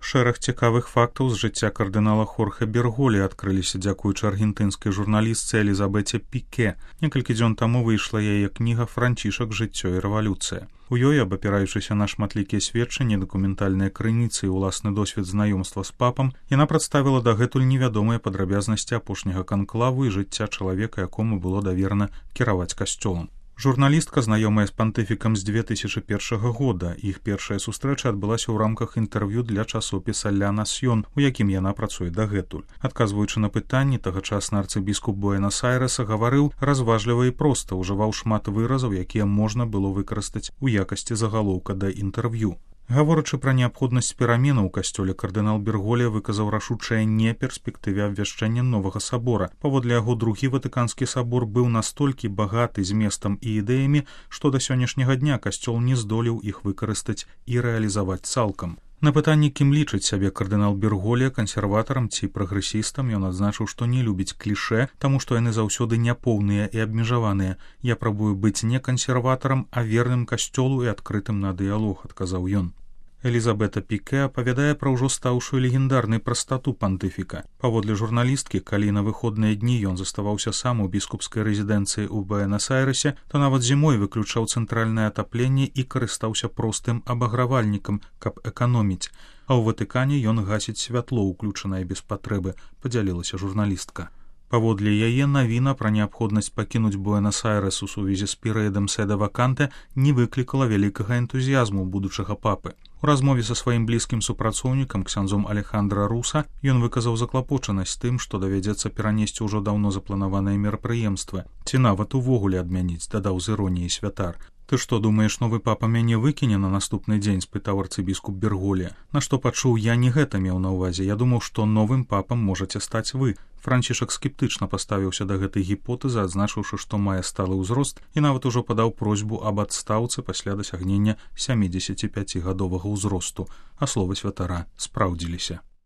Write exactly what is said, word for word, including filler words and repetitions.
Шэраг цікавых фактаў з жыцця кардынала Хорхе Берголі адкрыліся дзякуючы аргентынскай журналістцы Элізабеце Піке. Некалькі дзён таму выйшла яе кніга «Францішак. Жыццё і рэвалюцыя». У ёй, абапіраючыся на шматлікія сведчанні, дакументальныя крыніцы і ўласны досвед знаёмства з папам, яна прадставіла дагэтуль невядомыя падрабязнасці апошняга канклаву і жыцця чалавека, якому было даверана кіраваць касцёлам. Журналістка знаёмая з пантыфікам з две тысячы першага года. Іх першая сустрэча адбылася ў рамках інтэрв'ю для часопіса «Ля Насьён», у якім яна працуе дагэтуль. Адказваючы на пытанні, тагачасны арцыбіскуп Буэнас-Айрэса гаварыў разважліва і проста, ужываў шмат выразаў, якія можна было выкарыстаць у якасці загалоўка да інтэрв'ю. Гаворачы пра неабходнасць пераменаў у касцёле, кардынал Берголі выказаў рашучае не перспектыве абвяшчэння новага сабора. Паводле яго, другі ватыканскі сабор быў настолькі багаты зместам і ідэямі, што да сённяшняга дня касцёл не здолеў іх выкарыстаць і рэалізаваць цалкам. На пытанні, кім лічыць сябе кардынал Берголі, кансерватарам ці прагрэсістам, ён адзначыў, што не любіць клішэ, таму што яны заўсёды няпоўныя і абмежаваныя. «Я прабую быць не кансерватарам, а верным касцёлу і адкрытым на дыялог», адказаў ён. Элізабета Піке апавядае пра ўжо стаўшую легендарнай прастату пантыфіка. Паводле журналісткі, калі на выходныя дні ён заставаўся сам у біскупскай рэзідэнцыі ў Буэнас-Айрэсе, то нават зімой выключаў цэнтральнае атапленне і карыстаўся простым абагравальнікам, каб эканоміць. А ў Ватыкане ён гасіць святло, уключанае без патрэбы, падзялілася журналістка. Паводле яе, навіна пра неабходнасць пакінуць Буэнас-Айрэс у сувязі з перыядам седа ваканте не выклікала вялікага энтузіязму будучага папы. У размове са сваім блізкім супрацоўнікам, ксяндзом Алехандра Руса, ён выказаў заклапочанасць тым, што давядзецца перанесці ўжо даўно запланаваныя мерапрыемствы, ці нават увогуле адмяніць, дадаў з іроніяй святар. «Ты што, думаеш, новы папа мяне выкіне на наступны дзень?» — спытаў арцыбіскуп Берголі. На што пачуў, я не гэта меў на ўвазе. Я думаў, што новым папам можаце стаць вы. Францішак скептычна паставіўся да гэтай гіпотэзы, адзначыўшы, што мае сталы ўзрост, і нават ужо падаў просьбу аб адстаўцы пасля дасягнення сямідзесяціпяцігадовага ўзросту, а словы святара спраўдзіліся.